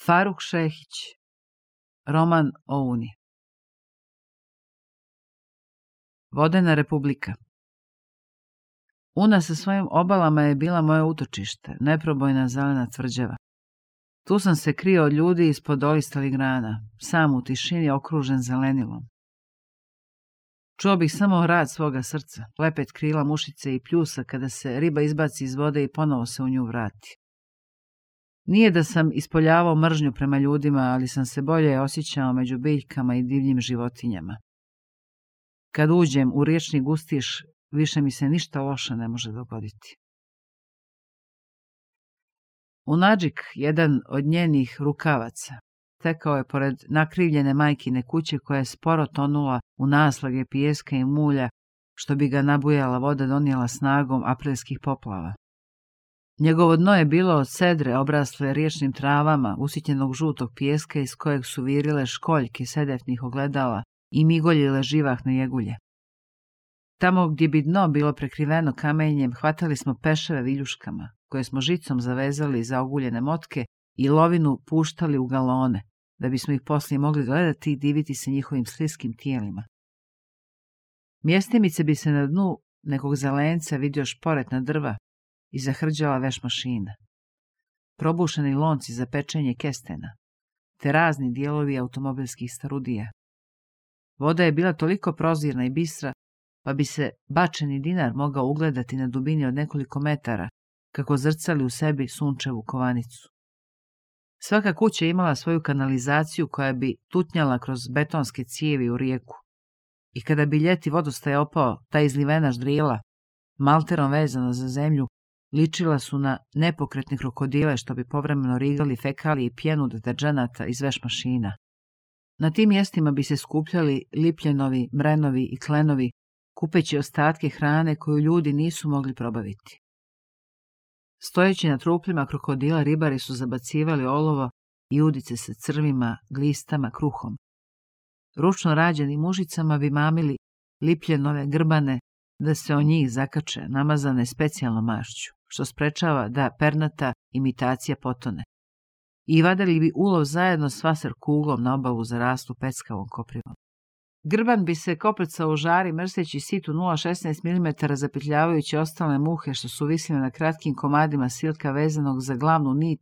Faruk Šehić. Roman o Uni. Vodena republika. Una sa svojim obalama je bila moje utočište, neprobojna zelena tvrđava. Tu sam se krio od ljudi ispod olistalih grana, sam u tišini okružen zelenilom. Čuo bih samo rad svoga srca, lepet krila mušice i pljusa kada se riba izbaci iz vode i ponovo se u nju vrati. Nije da sam ispoljavao mržnju prema ljudima, ali sam se bolje osjećao među biljkama i divljim životinjama. Kad uđem u riječni gustiš, više mi se ništa loše ne može dogoditi. Unadžik, jedan od njenih rukavaca, tekao je pored nakrivljene majkine kuće koja je sporo tonula u naslage pijeska i mulja, što bi ga nabujala voda donijela snagom aprilskih poplava. Njegovo dno je bilo od sedre obrasle riječnim travama, usitnjenog žutog pijeska iz kojeg su virile školjke sedefnih ogledala i migoljile živahne jegulje. Tamo gdje bi dno bilo prekriveno kamenjem, hvatali smo peševe viljuškama, koje smo žicom zavezali za oguljene motke i lovinu puštali u galone, da bismo ih poslije mogli gledati i diviti se njihovim sliskim tijelima. Mjestimice bi se na dnu nekog zelenca vidio šporetna drva i zahrđala veš mašina, probušeni lonci za pečenje kestena, te razni dijelovi automobilskih starudija. Voda je bila toliko prozirna i bistra, pa bi se bačeni dinar mogao ugledati na dubini od nekoliko metara, kako zrcali u sebi sunčevu kovanicu. Svaka kuća imala svoju kanalizaciju koja bi tutnjala kroz betonske cijevi u rijeku. I kada bi ljeti vodostaj opao, ta izlivena ždrijela, malterom vezana za zemlju, ličila su na nepokretne krokodile što bi povremeno rigali fekalije i pjenu deterdženata iz veš mašina. Na tim mjestima bi se skupljali lipljenovi, mrenovi i klenovi, kupeći ostatke hrane koju ljudi nisu mogli probaviti. Stojeći na truplima krokodila, ribari su zabacivali olovo i udice sa crvima, glistama, kruhom. Ručno rađenim mužicama bi mamili lipljenove grbane da se o njih zakače, namazane specijalnom mašću, što sprečava da pernata imitacija potone. I vadili bi ulov zajedno s vaser kuglom na obalu za rastu peckavom koprivom. Grban bi se koprcao u žari mrseći situ 0,16 mm zapetljavajući ostale muhe što su visile na kratkim komadima silka vezanog za glavnu nit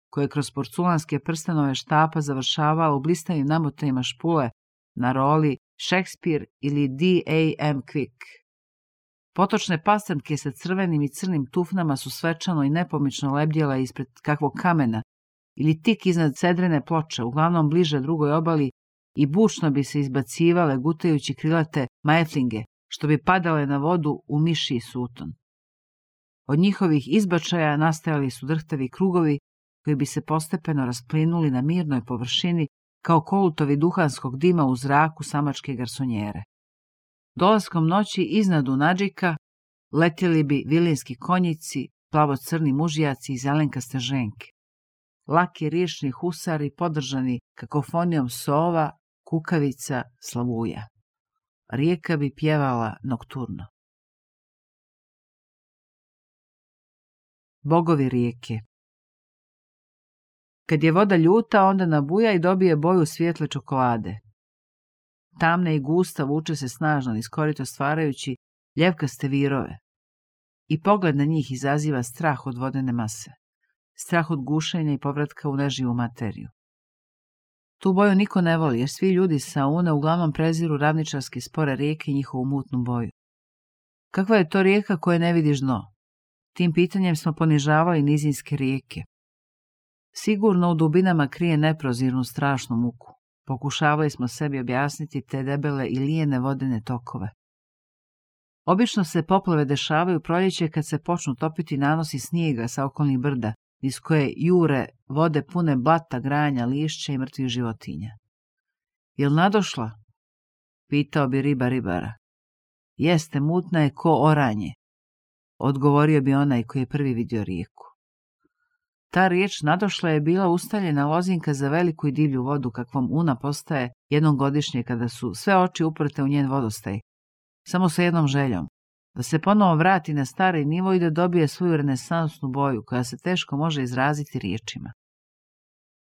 koje kroz porculanske prstenove štapa završavala u blistavim namotajima špule na roli Shakespeare ili D.A.M. Quick. Potočne pastrnke sa crvenim i crnim tufnama su svečano i nepomično lebdjela ispred kakvog kamena ili tik iznad cedrene ploče, uglavnom bliže drugoj obali, i bučno bi se izbacivale gutajući krilate majflinge, što bi padale na vodu u mišji suton. Od njihovih izbačaja nastajali su drhtavi krugovi koji bi se postepeno rasplinuli na mirnoj površini kao kolutovi duhanskog dima u zraku samačke garsonjere. Dolaskom noći iznad Unadžika letjeli bi vilinski konjici, plavo-crni mužijaci i zelenkaste ženke. Laki riječni husari podržani kakofonijom sova, kukavica, slavuja. Rijeka bi pjevala nokturno. Bogovi rijeke. Kad je voda ljuta, onda nabuja i dobije boju svijetle čokolade. Tamna i gusta vuče se snažno niz korito stvarajući ljevkaste virove. I pogled na njih izaziva strah od vodene mase. Strah od gušenja i povratka u neživu materiju. Tu boju niko ne voli, jer svi ljudi sa Une uglavnom preziru ravničarske spore rijeke i njihovu mutnu boju. Kakva je to rijeka koje ne vidiš dno? Tim pitanjem smo ponižavali nizinske rijeke. Sigurno u dubinama krije neprozirnu strašnu muku. Pokušavali smo sebi objasniti te debele i lijene vodene tokove. Obično se poplave dešavaju proljeće kad se počnu topiti nanosi snijega sa okolnih brda, iz koje jure vode pune blata, granja, lišća i mrtvih životinja. Jel nadošla? Pitao bi riba ribara. Jeste, mutna je ko oranje, odgovorio bi onaj koji je prvi vidio rijeku. Ta riječ nadošla je bila ustaljena lozinka za veliku i divlju vodu kakvom Una postaje jednom godišnje kada su sve oči uprte u njen vodostaj, samo sa jednom željom, da se ponovo vrati na stari nivo i da dobije svoju renesansnu boju koja se teško može izraziti riječima.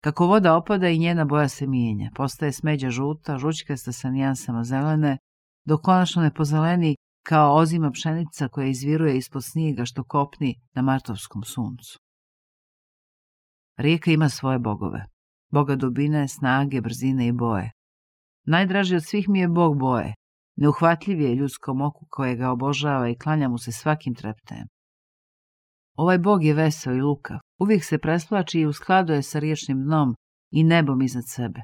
Kako voda opada i njena boja se mijenja, postaje smeđa žuta, žućkasta sa nijansama zelene, dok konačno ne pozeleni kao ozima pšenica koja izviruje ispod snijega što kopni na martovskom suncu. Rijeka ima svoje bogove, boga dubine, snage, brzine i boje. Najdraži od svih mi je bog boje, neuhvatljiv je ljudskom oku koje ga obožava i klanja mu se svakim treptajem. Ovaj bog je veseo i lukav, uvijek se presplači i u skladu je sa riječnim dnom i nebom iznad sebe.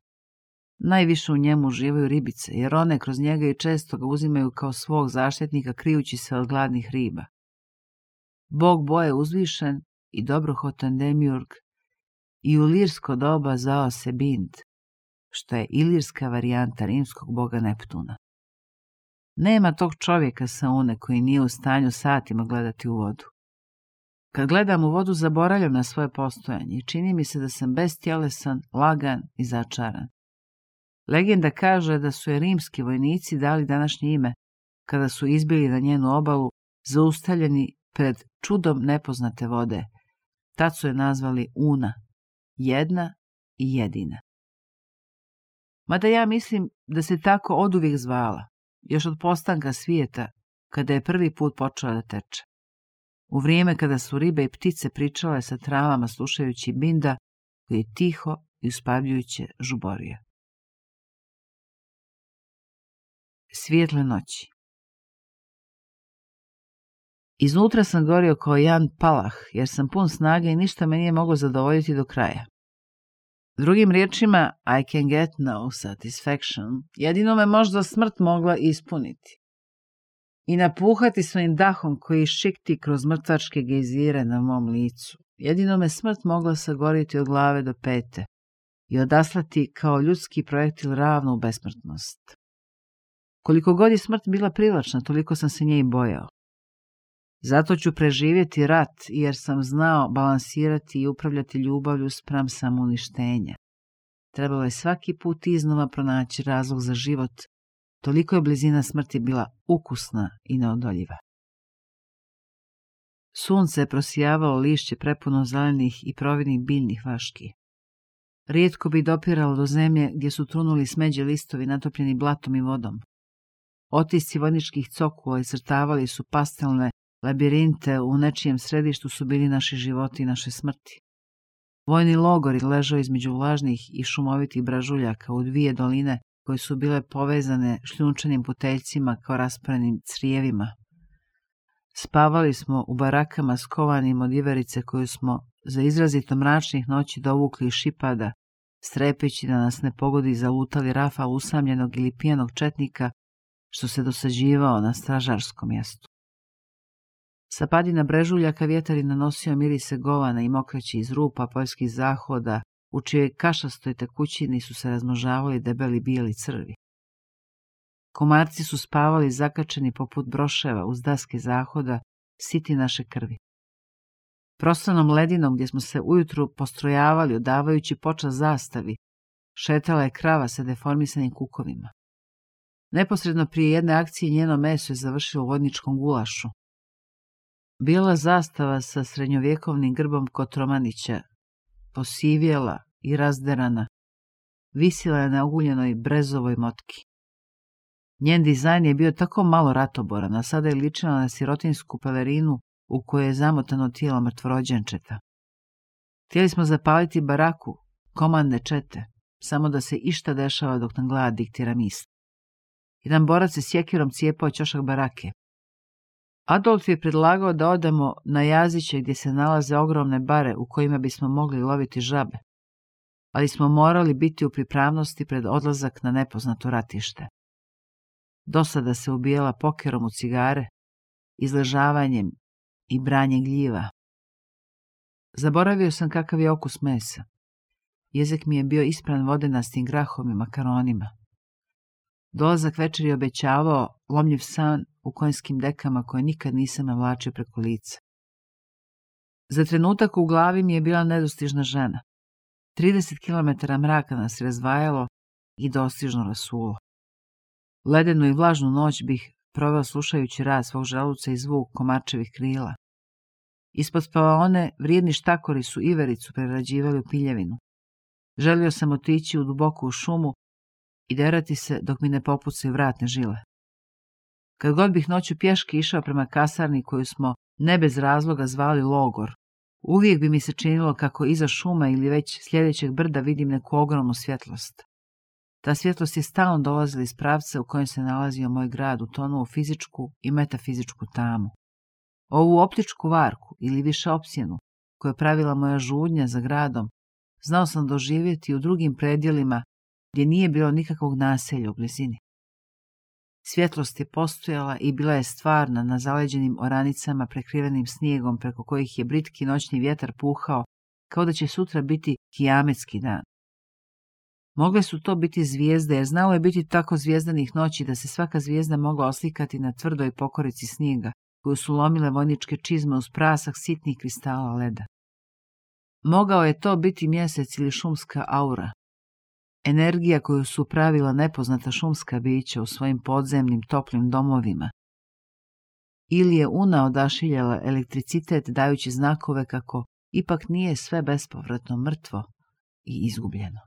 Najviše u njemu uživaju ribice, jer one kroz njega i često ga uzimaju kao svog zaštitnika krijući se od gladnih riba. Bog boje uzvišen i dobrohotan demiurg i u lirsko doba zvao se Bind, što je ilirska varijanta rimskog boga Neptuna. Nema tog čovjeka sa Une koji nije u stanju satima gledati u vodu. Kad gledam u vodu, zaboravljam na svoje postojanje i čini mi se da sam bestjelesan, lagan i začaran. Legenda kaže da su je rimski vojnici dali današnje ime kada su izbili na njenu obalu, zaustavljeni pred čudom nepoznate vode. Tad su je nazvali Una, jedna i jedina. Mada ja mislim da se tako oduvijek zvala, još od postanka svijeta, kada je prvi put počela da teče. U vrijeme kada su ribe i ptice pričale sa travama slušajući Binda, koji je tiho i uspavljujuće žuborio. Svijetle noći. Iznutra sam gorio kao Jan Palah, jer sam pun snage i ništa me nije moglo zadovoljiti do kraja. Drugim riječima, I can get no satisfaction, jedino me možda smrt mogla ispuniti. I napuhati svojim dahom koji šikti kroz mrtvačke gejzire na mom licu. Jedino me smrt mogla sagoriti od glave do pete i odaslati kao ljudski projektil ravno u besmrtnost. Koliko god je smrt bila privlačna, toliko sam se nje i bojao. Zato ću preživjeti rat, jer sam znao balansirati i upravljati ljubavlju spram samouništenja. Trebalo je svaki put iznova pronaći razlog za život, toliko je blizina smrti bila ukusna i neodoljiva. Sunce je prosijavalo lišće prepuno zelenih i providnih biljnih vaški. Rijetko bi dopiralo do zemlje gdje su trunuli smeđi listovi natopljeni blatom i vodom. Otisci vojničkih cokula iscrtavali su pastelne labirinte, u nečijem središtu su bili naši životi i naše smrti. Vojni logor ležao između vlažnih i šumovitih bražuljaka u dvije doline koje su bile povezane šljunčanim puteljcima kao raspranim crijevima. Spavali smo u barakama skovanim od iverice koju smo za izrazito mračnih noći dovukli iz šipada, strepeći da nas ne pogodi zalutali rafal usamljenog ili pijanog četnika što se dosađivao na stražarskom mjestu. Sa padina brežuljaka vjetar je nanosio mirise govana i mokraći iz rupa poljskih zahoda, u čijoj kašastoj tekućini su se razmnožavali debeli bijeli crvi. Komarci su spavali zakačeni poput broševa uz daske zahoda, siti naše krvi. Prostranom ledinom gdje smo se ujutru postrojavali odavajući počast zastavi, šetala je krava sa deformisanim kukovima. Neposredno prije jedne akcije njeno meso je završilo u vojničkom gulašu. Bijela zastava sa srednjovjekovnim grbom Kotromanića, posivjela i razderana, visila je na oguljenoj brezovoj motki. Njen dizajn je bio tako malo ratoboran, a sada je ličila na sirotinsku pelerinu u kojoj je zamotano tijelo mrtvorođenčeta. Htjeli smo zapaliti baraku, komandne čete, samo da se išta dešava dok nam glad diktira misli. Jedan borac se sjekirom cijepao ćošak barake. Adolf je predlagao da odemo na Jaziće gdje se nalaze ogromne bare u kojima bismo mogli loviti žabe, ali smo morali biti u pripravnosti pred odlazak na nepoznato ratište. Dosada se ubijala pokerom u cigare, izležavanjem i branjem gljiva. Zaboravio sam kakav je okus mesa. Jezik mi je bio ispran vodenastim grahom i makaronima. Dolazak večeri obećavao lomljiv san u konjskim dekama koje nikad nisam navlačio preko lica. Za trenutak u glavi mi je bila nedostižna žena. 30 km mraka nas razdvajalo i dostižno rasulo. Ledenu i vlažnu noć bih proveo slušajući rad svog želuca i zvuk komarčevih krila. Ispod spavaone vrijedni štakori su ivericu prerađivali u piljevinu. Želio sam otići u duboku šumu i derati se dok mi ne popucaju vratne žile. Kad god bih noću pješke išao prema kasarni koju smo ne bez razloga zvali logor, uvijek bi mi se činilo kako iza šuma ili već sljedećeg brda vidim neku ogromnu svjetlost. Ta svjetlost je stalno dolazila iz pravca u kojem se nalazio moj grad, utonuo u fizičku i metafizičku tamu. Ovu optičku varku ili više opsjenu koju je pravila moja žudnja za gradom, znao sam doživjeti u drugim predjelima gdje nije bilo nikakvog naselja u blizini. Svjetlost je postojala i bila je stvarna na zaleđenim oranicama prekrivenim snijegom preko kojih je britki noćni vjetar puhao kao da će sutra biti kijametski dan. Mogle su to biti zvijezde, jer znalo je biti tako zvijezdanih noći da se svaka zvijezda mogla oslikati na tvrdoj pokorici snijega, koju su lomile vojničke čizme uz prasak sitnih kristala leda. Mogao je to biti mjesec ili šumska aura, energija koju su pravila nepoznata šumska bića u svojim podzemnim toplim domovima. Ili je Una odašiljala elektricitet dajući znakove kako ipak nije sve bespovratno mrtvo i izgubljeno.